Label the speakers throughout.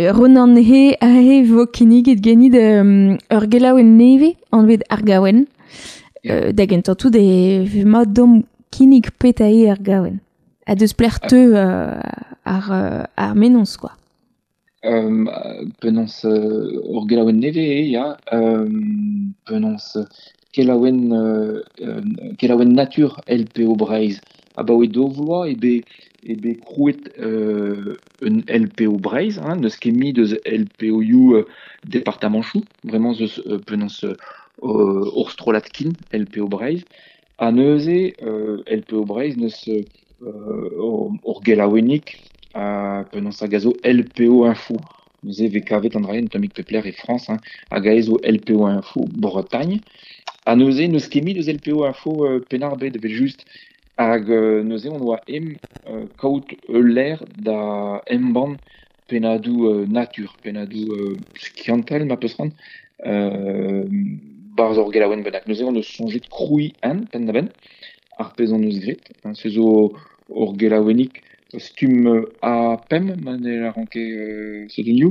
Speaker 1: Ronan he ahe vo kinniget ganit ur gelaouenn nevez anvet Ar Gaouenn. Da gentañ tout e vez mat deomp kinnig petra eo Ar Gaouenn. Ha deus pelec'h teu ar mennozh quoi.
Speaker 2: Penaos ur gelaouenn nevez eo, ya. Penaos kelaouenn kelaouenn natur LPO Breizh. Abaoe daou vloaz eo bet eo bet krouet un LPO Breizh, hein, n'eus ket mui deus LPO-ioù departamanchoù. Bremañ ez eus penaos ur strollad kin LPO Breizh. Ha neuze LPO Breizh n'eus ur gelaouennig penaos hag a zo LPO Info. Neuze e vez kavet an dra-se un tammig pep lec'h e Frañs, hein, hag aze zo LPO Info Bretagne. Ha neuze n'eus ket mui deus LPO Info Penn-ar-Bed evel-just. Hag neuze on oa em kaout ul lec'h da embann pennadoù natur, pennadoù skiantel ma peus c'hoant, barzh ur gelaouenn bennak. Neuze on eus soñjet krouiñ un penn-da-benn, ar pezh hon eus graet. Se zo ur gelaouennig stumm A5 ma ne lâran ket sotonioù.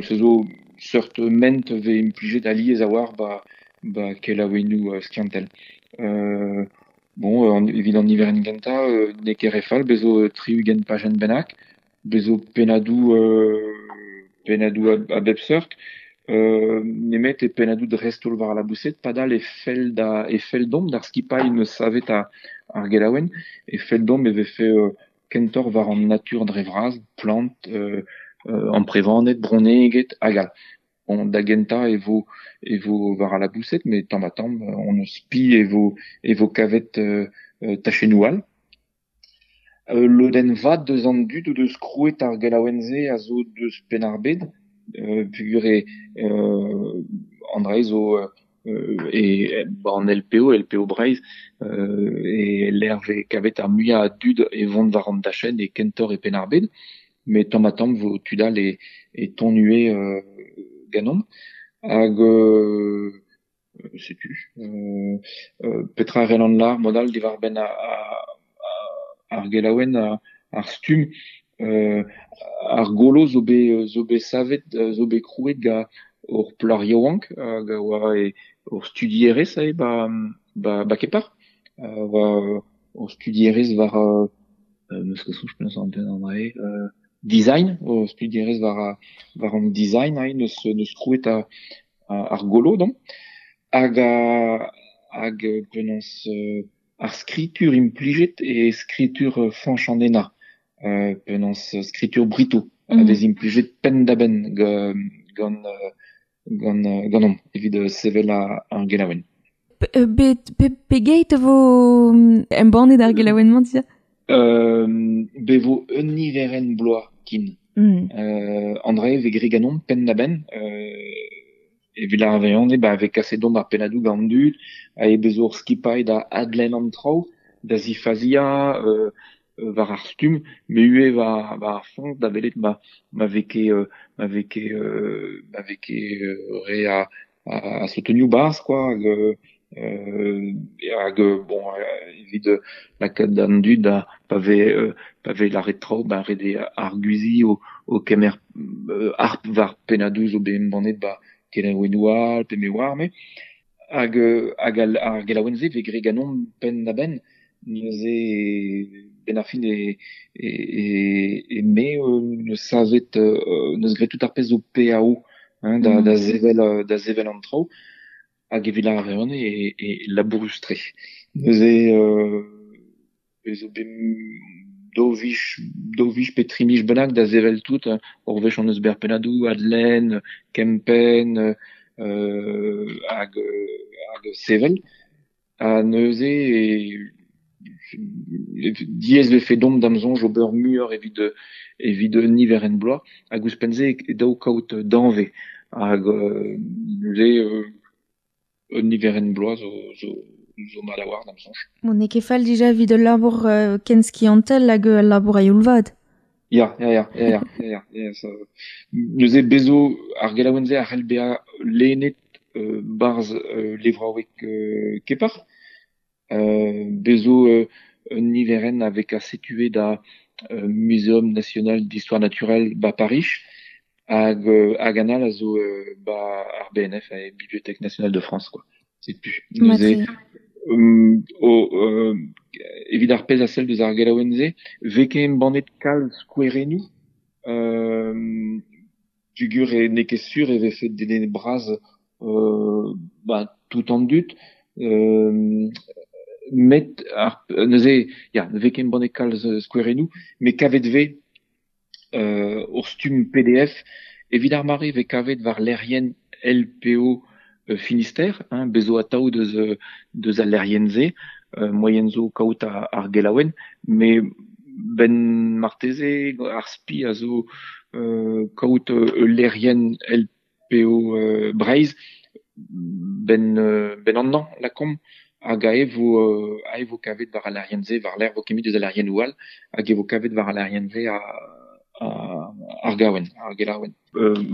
Speaker 2: Se zo seurt ment vez implijet alies a-walc'h ba ba kelaouennoù skiantel. Bon, evit an niverenn gentañ n'eo ket re fall, bez zo 60 pajenn bennak, bez zo pennadoù pennadoù a bep seurt, nemet e pennadoù dreist-holl war al laboused, padal e fell da e fell deomp d'ar skipailh neus savet ar gelaouenn, e fell deomp e vefe kentoc'h war an natur dre vras, plant, amprevaned, bronneged hag all. Bon, da gentañ e vo e vo war al laboused, met tamm-ha-tamm on eus spi e vo e vo kavet tachennoù all. Ul lodenn vat deus an dud o deus krouet ar gelaouenn-se a zo deus Penn-ar-Bed, peogwir eo an dra-se zo e an LPO, LPO Breizh, e lec'h vez kavet ar muiañ a dud e vont war an dachenn e kentoc'h e Penn-ar-Bed. Met tamm-ha-tamm vo tud all e e tont ivez ganeomp. Hag setu petra a c'hellan lâr mod all diwar-benn ar gelaouenn, ar stumm. Ar golo zo bet zo bet savet, zo bet krouet gant ur plac'h yaouank hag a oa ur studierez ivez ba ba ba Kepar. Oa ur studierez war n'eus ket soñj penaos an dra-se design, ur studierez war war an design aze neus neus krouet ar golo dont. Hag hag penaos ar skritur implijet eo skritur Fañch an Henañ, penaos skritur Brito a vez implijet penn-da-benn gant gant ganeomp evit sevel ar gelaouenn.
Speaker 1: Pegeit e vo embannet ar gelaouenn-mañ dija?
Speaker 2: Bet vo un niverenn bloaz kin. An dra-se e vez graet ganeomp penn-da-benn. Evit ar vezañ ba vez kaset deomp ar pennadoù gant an dud, ha e bezo ur skipailh da adlenn an traoù, da zifaziañ war ar stumm, met ivez war war ar foñs da welet ma ma vez ket ma vez ket ma vez ket re a a sotonioù 'barzh quoi hag hag bon evit lakaat an dud da pa vez pa vez lâret traoù ba ret eo arguziñ o o kemer harp war pennadoù zo bet embannet ba kelaouennoù all pe me oar me. Hag hag ar gelaouenn-se vez graet ganeomp penn-da-benn. Neuze benn ar fin e e e me neus savet neus graet tout ar pezh zo PAO hein, da da sevel da sevel an traoù. Hag evit ar re e e labourus-tre. Neuze ez zo bet daou vich daou vich pe tri miz bennak da sevel tout. Ur wech hon eus bet ar pennadoù, adlenn, kempenn hag hag sevel. Ha neuze e diaes vefe deomp da'm soñj ober muioc'h evit evit un niverenn bloaz. Hag ouzhpenn-se e dav kaout danvez. Hag neuze un niverenn bloaz zo zo zo mat a-walc'h da'm soñj.
Speaker 1: Bon, n'eo ket fall dija evit ul labour ken skiantel hag ul labour a-youl vat.
Speaker 2: Ya, ya, ya, ya, ya, ya, ya, ya, neuze bez zo ar gelaouenn-se a c'hell bezañ lennet 'barzh levraoueg Kepar. Bez zo un niverenn a vez kaset ivez da Muséum national d'histoire naturelle ba Pariz. Hag hag an all a zo ba ar BNF, e Bibliothèque Nationale de France, quoi. Setu. Neuze, o, evit ar pezh a sell deus ar gelaouenn-se, vez ket embannet kalz skouerennoù, pugur e n'eo ket sur e vefe dedennet bras ba tout an dud, met ar neuze ya, ne vez ket embannet kalz skouerennoù, met kavet 'vez ur stumm PDF evit ar mare e vez kavet war lec'hienn LPO Finistère, hein, bez zo atav deus deus al lec'hienn-se, moaien zo kaout ar gelaouenn, met 'benn marteze ar spi a zo kaout ul lec'hienn LPO Breizh 'benn 'benn an hañv lakaomp, hag aze vo aze vo kavet war al lec'hienn-se war-lerc'h 'vo ket deus al lec'hiennoù all, hag e vo kavet war al lec'hienn-se ar gaouenn, ar gelaouenn.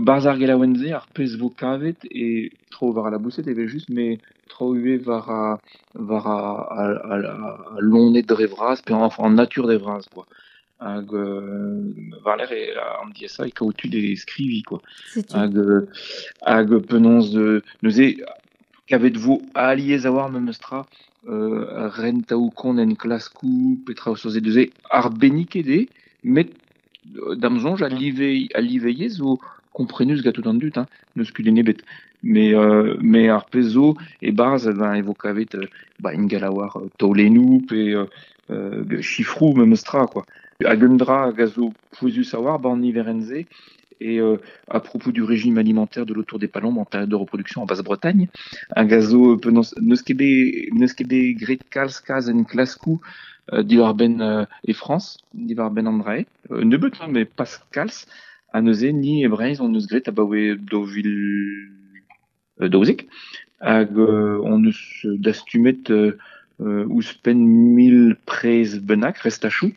Speaker 2: Barzh ar gelaouenn-se, ar pezh vo kavet e tro war al laboused evel-just, met tro ivez war war al loened dre vras, pe enfin an natur dre vras, quoi. Hag war-lerc'h eo an diaesañ eo kaout tud e skriviñ, quoi. Hag hag penaos neuze kavet vo alies a-walc'h memes tra rentaoù-kont enklaskoù, petra zo neuze arbenniket eo, met da'm soñj al live al live yezh zo komprenus gant tout an dud, hein, n'eus kudenn ebet. Mais mais ar pezh zo e-barzh ben e vo kavet ba ingal a-walc'h taolennoù pe sifroù memes tra quoi. Hag un dra hag a zo pouezus a-walc'h 'ba an niverenn-se eo à propos du régime alimentaire de l'autour des palombes en période de reproduction en Basse-Bretagne hag a zo penaos n'eus ket bet n'eus ket bet graet kalz kalz enklaskoù diwar-benn e Frañs diwar-benn an dra-se. Nebeut hein, met pas kalz. Ha neuze ni e Breizh hon eus graet abaoe 2012 hag hon eus dastumet ouzhpenn 1000 prez bennak restachoù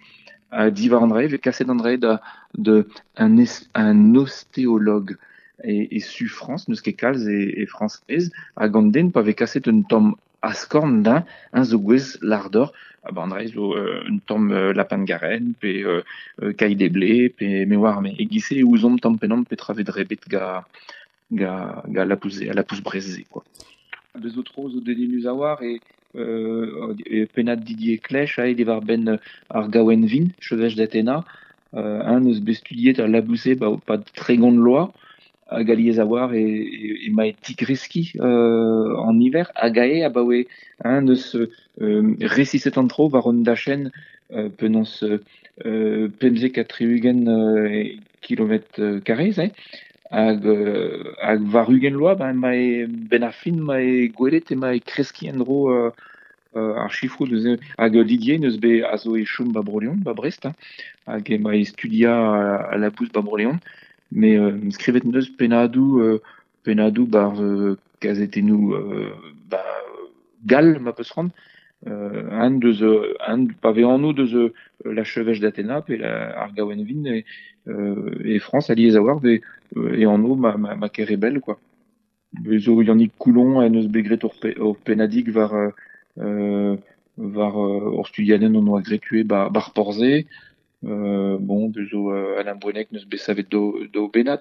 Speaker 2: ha diwar an dra-se e vez kaset an dra-se da da un un ostéologue e e su Frañs, n'eus ket kalz e e Frañs hag an den pa vez kaset un tamm askorn da eñ zo gouez lardoc'h ha ba an dra-se zo un tamm lapin de Garenne pe caille des blés pe me oar me e-giz-se e ouzomp tamm penaos petra 'vez drebet ga ga ga lapous al lapous Brest-se quoi. Bez zo tro zo dedennus a-walc'h e e pennad Didier Clech aet diwar-benn ar gaouenn vin, chevêche d'Athéna. Eñ 'neus bet studiet al labous-se 'ba 'pad 30 vloaz hag alies a-walc'h emañ e tigreskiñ an niver hag aze abaoe eñ 'neus resiset an traoù war un dachenn penaos 75 kilometr karrez eo hag hag war 20 vloaz ben emañ 'benn ar fin emañ gwelet emañ e kreskiñ en-dro ar sifroù neuze hag Didier 'neus bet a zo e chom 'ba Bro-Leon 'ba Brest hein hag emañ e studiañ al labous 'ba Bro-Leon met skrivet 'neus pennadoù pennadoù 'barzh kazetennoù ba gall ma 'peus c'hoant un deus un pa vez anv deus la chevêche d'Athéna pe ar gaouenn vin e Frañs alies a-walc'h vez e anv ma ma Kerebel quoi. Bez zo Yannick Coulon en deus bet graet ur pennadig war war ur studiadenn hon doa graet ivez 'ba 'bar Porzhe. Bon, bez zo Alain Bouennec 'neus bet savet daou bennad.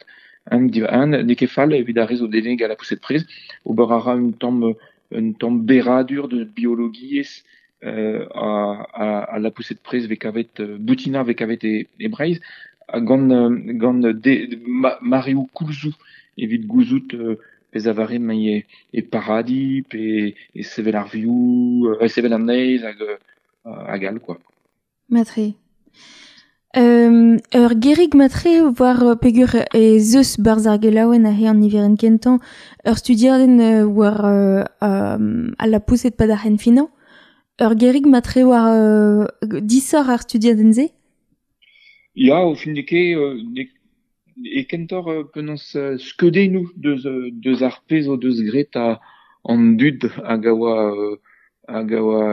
Speaker 2: Un n'eo ket fall evit ar re zo dedennet gant la poussée de prez. Ober a ra un tamm un tamm berradur deus biologiezh a la poussée de prez 'vez kavet boutinañ 'vez kavet e Breizh ha gant gant mareoù koulzoù evit gouzout pezh a vare emañ e paradiñ pe e sevel ar vioù, e sevel an neizh hag hag all quoi.
Speaker 1: Matre. Ur gerig matre war peger ez eus barzh ar gelaouenn aze an niverenn kentañ ur studiadenn war al lapoused 'pad ar c'henfinañ. Ur gerig matre war disoc'h ar studiadenn-se?
Speaker 2: Ya, o fin n'eo ket e kentoc'h penaos skeudennoù deus deus ar pezh o deus graet an dud hag a oa hag a oa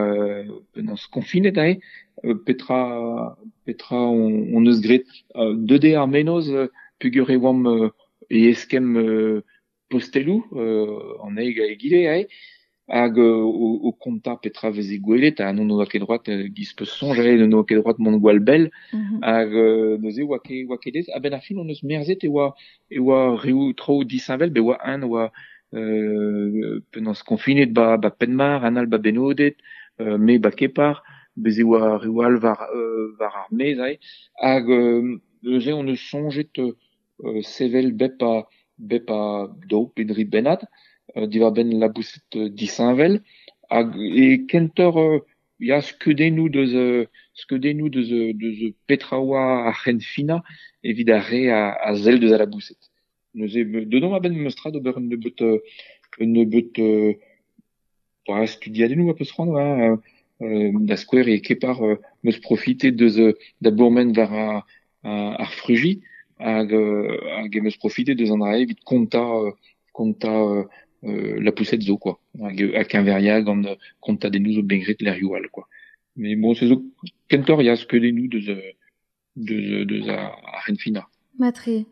Speaker 2: penaos konfinet aze petra petra hon eus graet. Deuet eo ar mennozh peogwir e oamp e eskemm posteloù an eil hag egile aze. Hag o kontañ petra veze gwelet, ha n'on oa ket droad, giz peus soñj, n'on oa ket droad mont gwall bell, hag neuze oa ket, oa ket aes. A-benn ar fin hon eus merzet e oa, e oa reoù traoù disheñvel, bet oa un oa penaos konfinet ba, ba Penmar, un all ba Benoded, me ba Kepar, bez e oa reoù all war, war ar maez aze. Hag neuze hon eus soñjet sevel bep a, bep a daou pe dri bennad diwar-benn laboused disheñvel hag e kentoc'h ya skeudennoù deus skeudennoù deus deus petra oa ar c'henfinañ evit ar re a sell deus al laboused. Neuze deut omp a-benn memes tra d'ober un nebeud un nebeud studiadennoù a peus c'hoant hein, da skouer e Kepar 'm eus profitet deus da bourmen war ar Fruji hag hag em eus profitet deus an dra-se evit kontañ kontañ lapoused zo quoi hag ha keñveriañ gant kontadennoù zo bet graet lec'hioù all quoi. Mais bon se zo kentoc'h ya skeudennoù deus deus deus ar c'henfinañ.
Speaker 1: Matre.